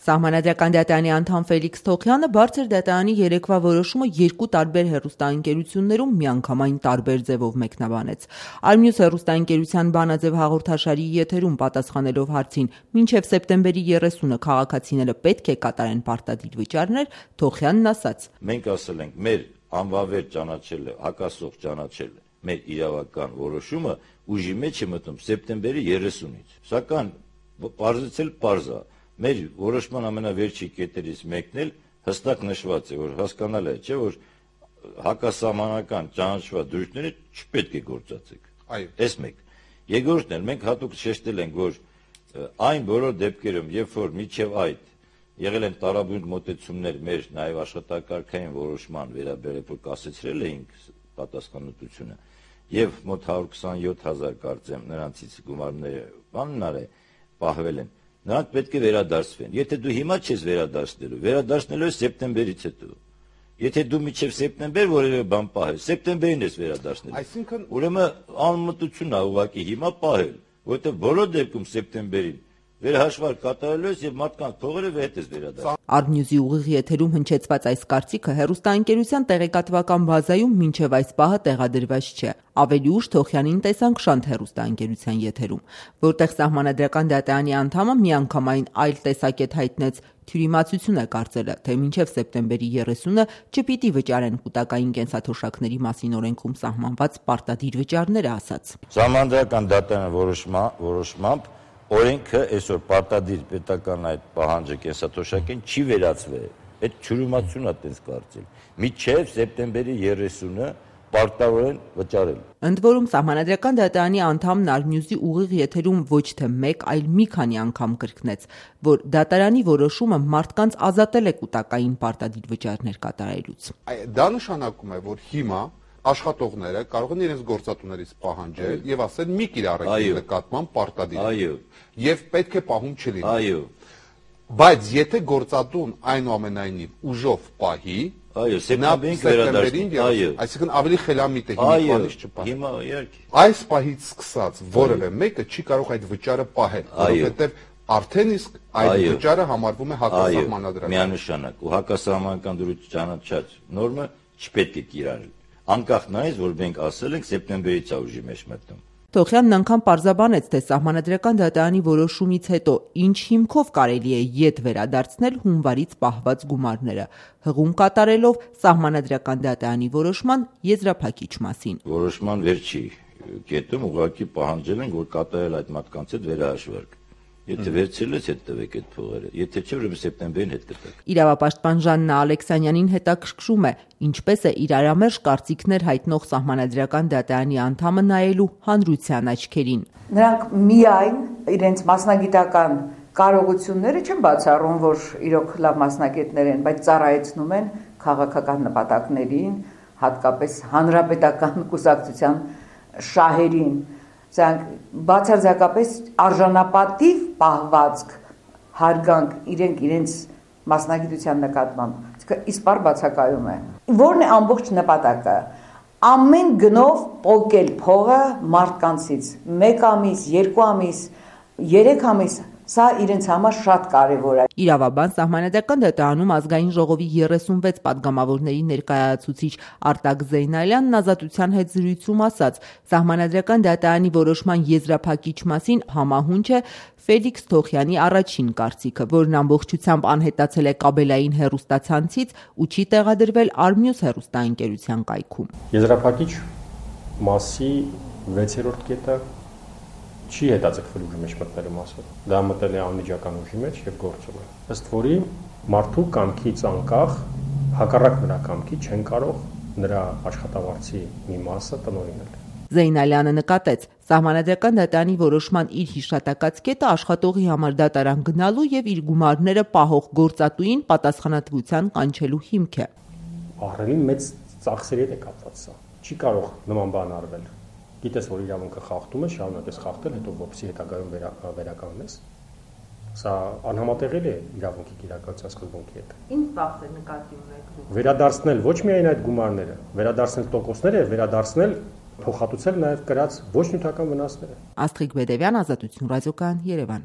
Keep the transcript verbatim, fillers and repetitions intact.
Սահմանադրական դատարանի անդամ Ֆելիքս Թոխյանը բարձր դատարանի երեկվա որոշումը երկու տարբեր հեռուստաընկերություններում միանգամայն տարբեր ձևով մեկնաբանեց։ Արմյուս հեռուստաընկերության բանաձև հաղորդաշարի եթերում պատասխանելով հարցին մինչև սեպտեմբերի երեսունը քաղաքացիները պետք է կատարեն պարտադիր վճարներ, Թոխյանն ասաց. Մենք ասել ենք, մեր անվավեր ճանաչելը, հակասող ճանաչելը, մեր իրավական որոշումը ուժի մեջ է մտնում սեպտեմբերի երեսունից։ Սակայն պարզեցել պարզա, մեր որոշման ամենավերջի կետերից մեկն էլ հստակ նշված է, որ հասկանալ է, չէ, որ հակասահմանական ճանաչված դրույթները չպետք է գործածեք։ Այո։ Էս մեկ։ Երկրորդն էլ մենք հատուկ շեշտել ենք, որ այն բոլոր դեպքերում, երբ որ միջև այդ եղել են տարաբույր մոտեցումներ մեր նաև աշխատակարգային որոշման վերաբերել, որ կասեցրել էինք պատասխանատվությունը եւ մոտ հարյուր քսանյոթ հազար կարծեմ նրանցից գումարները բաննար է պահվել են, նրանք պետք է վերադարձվեն։ Եթե դու հիմա չես վերադարձնելու, վերադարձնելու ես սեպտեմբերից հետո։ Եթե դու միջև սեպտեմբեր որևէ բան պահես, սեպտեմբերին ես վերադարձնելու։ Այսինքն ուրեմն անմտություն է ուղղակի հիմա պահել, որովհետեւ բոլոր դեպքում սեպտեմբերին վերահաշվար կատարելու ես եւ մարդկանց փողերը հետ ես վերադարձ։ Արմյուզի ուղիղ եթերում հնչեցված այս կարծիքը հեռուստաընկերության տեղեկատվական բազայում մինչև այս պահը տեղադրված չէ։ Ավելի ուշ Թոխյանին տեսանք Շանթ հեռուստաընկերության եթերում, որտեղ Սահմանադրական դատարանի անդամը միանգամայն այլ տեսակետ հայտնեց, թյուրիմացություն է կարծելը, թե մինչև սեպտեմբերի երեսունը չպիտի վճարեն կൂട്ടակային կենսաթոշակների մասին օրենքում սահմանված պարտադիր վճարները, ասաց։ Սահմանադրական դատարանի որոշմամբ օրենքը այսօր պարտադիր պետական այդ պահանջը կենսաթոշակին չի վերացվել։ Այդ թյուրիմացությունն է տես կարծել։ Մինչև սեպտեմբերի երեսունը պարտավոր են վճարել։ Ընդ որում Սահմանադրական դատարանի անդամն Արմյուզի ուղիղ եթերում ոչ թե մեկ, այլ մի քանի անգամ կրկնեց, որ դատարանի որոշումը մարդկանց ազատել է կൂട്ടակային պարտադիր վճարներ կատարելուց։ Դա նշանակում է, որ հիմա աշխատողները կարող են իրենց գործատուներից պահանջել եւ ասել մի կիրառեք իր նկատմամբ պարտադիր։ Այո։ Եվ պետք է պահում չլինի։ Այո։ Բայց եթե գործատուն այնուամենայնիվ ուժով պահի, այո, սեպտեմբերին վերադարձնի, այո, այսինքն ավելի խելամիտ է հիմա բանից չպահի։ Հիմա իհարկե։ Այս պահից սկսած որևէ մեկը չի կարող այդ վճարը պահել, որովհետեւ արդեն իսկ այդ վճարը համարվում է հակասահմանադրական։ Միանշանակ ու հակասահմանական դրույթ ճանաչած նորմը չպետք է կիրառել։ Անկախ նայած, որ մենք ասել ենք սեպտեմբերից է ուժի մեջ մտնում։ Թոխյանն անգամ պարզաբանեց, թե Սահմանադրական դատարանի որոշումից հետո ինչ հիմքով կարելի է ետ վերադարձնել հունվարից պահված գումարները, հղում կատարելով Սահմանադրական դատարանի որոշման եզրափակիչ մասին։ Որոշման վերջի կետում ուղղակի պահանջել են, որ կատարել այդ մարդկանց հետ վերահաշվարկ։ Եթե վերցրել ես հետ տվեք այդ փողերը, եթե չէ, ուրեմն սեպտեմբերին հետ կտակ։ Իրավապաշտպան Ժաննա Ալեքսանյանին հետաքրքրում է, ինչպես է իրարամերժ կարծիքներ հայտնող Սահմանադրական դատարանի անդամը նայելու հանրության աչքերին։ Նրանք միայն իրենց մասնագիտական կարողությունները չեն բացառում, որ իրոք լավ մասնագետներ են, բայց ծառայեցնում են քաղաքական նպատակներին, հատկապես հանրապետական կուսակցության շահերին։ Սրանք բացարձակապես արժանապատիվ պահվածք, հարգանք իրենք իրենց մասնագիտության նկատմամբ, իսպառ բացակայում է։ Որն է ամբողջ նպատակը։ Ամեն գնով պոկել փողը մարդկանցից, մեկ ամիս, երկու ամիս, երեք ամիս, սա իրենց համար շատ կարևոր է։ Իրավաբան Սահմանադրական դատարանում ազգային ժողովի երեսունվեց պատգամավորների ներկայացուցիչ Արտակ Զեյնալյանն ազատության հետ զրույցում ասաց, Սահմանադրական դատարանի որոշման եզրափակիչ մասին համահունչ է Ֆելիքս Թոխյանի առաջին կարծիքը, որն ամբողջությամբ անհետացել է կաբելային հեռուստացանցից ու չի տեղադրվել Արմյուս հեռուստաընկերության կայքում։ Եզրափակիչ մասի վեցերորդ կետը չի հետաձգվել ուժի մեջ մտնելու մասը։ Դա մտել է անմիջական ուժի մեջ եւ գործում է։ Ըստ որի մարդու կամքից անկախ հակառակ նրա կամքի չեն կարող նրա աշխատավարձի մի մասը տնօրինել։ Զեյնալյանը նկատեց, Սահմանադրական դատարանի որոշման իր հիշատակած կետը աշխատողի համար դատարան գնալու եւ իր գումարները պահող գործատուին պատասխանատվության կանչելու հիմք է։ Ահռելի մեծ ծախսերի հետ է կապված սա։ Չի կարող նման բան արվել։ Գիտես, որ իրավունքը խախտում է, շարունակես խախտել, հետո որպեսզի հետագայում վերականգնես։ Սա անհամատեղելի է իրավունքի կիրակացության սկզբունքի հետ։ Ինչ ծախսեր նկատի ունեք։ Վերադարձնել ոչ միայն այդ գումարները, վերադարձնել տոկոսները, վերադարձնել փոխհատուցել նաև կրած ոչ նյութական վնասները։ Աստղիկ Բեդևյան, Ազատություն ռադիոկայան, Երևան։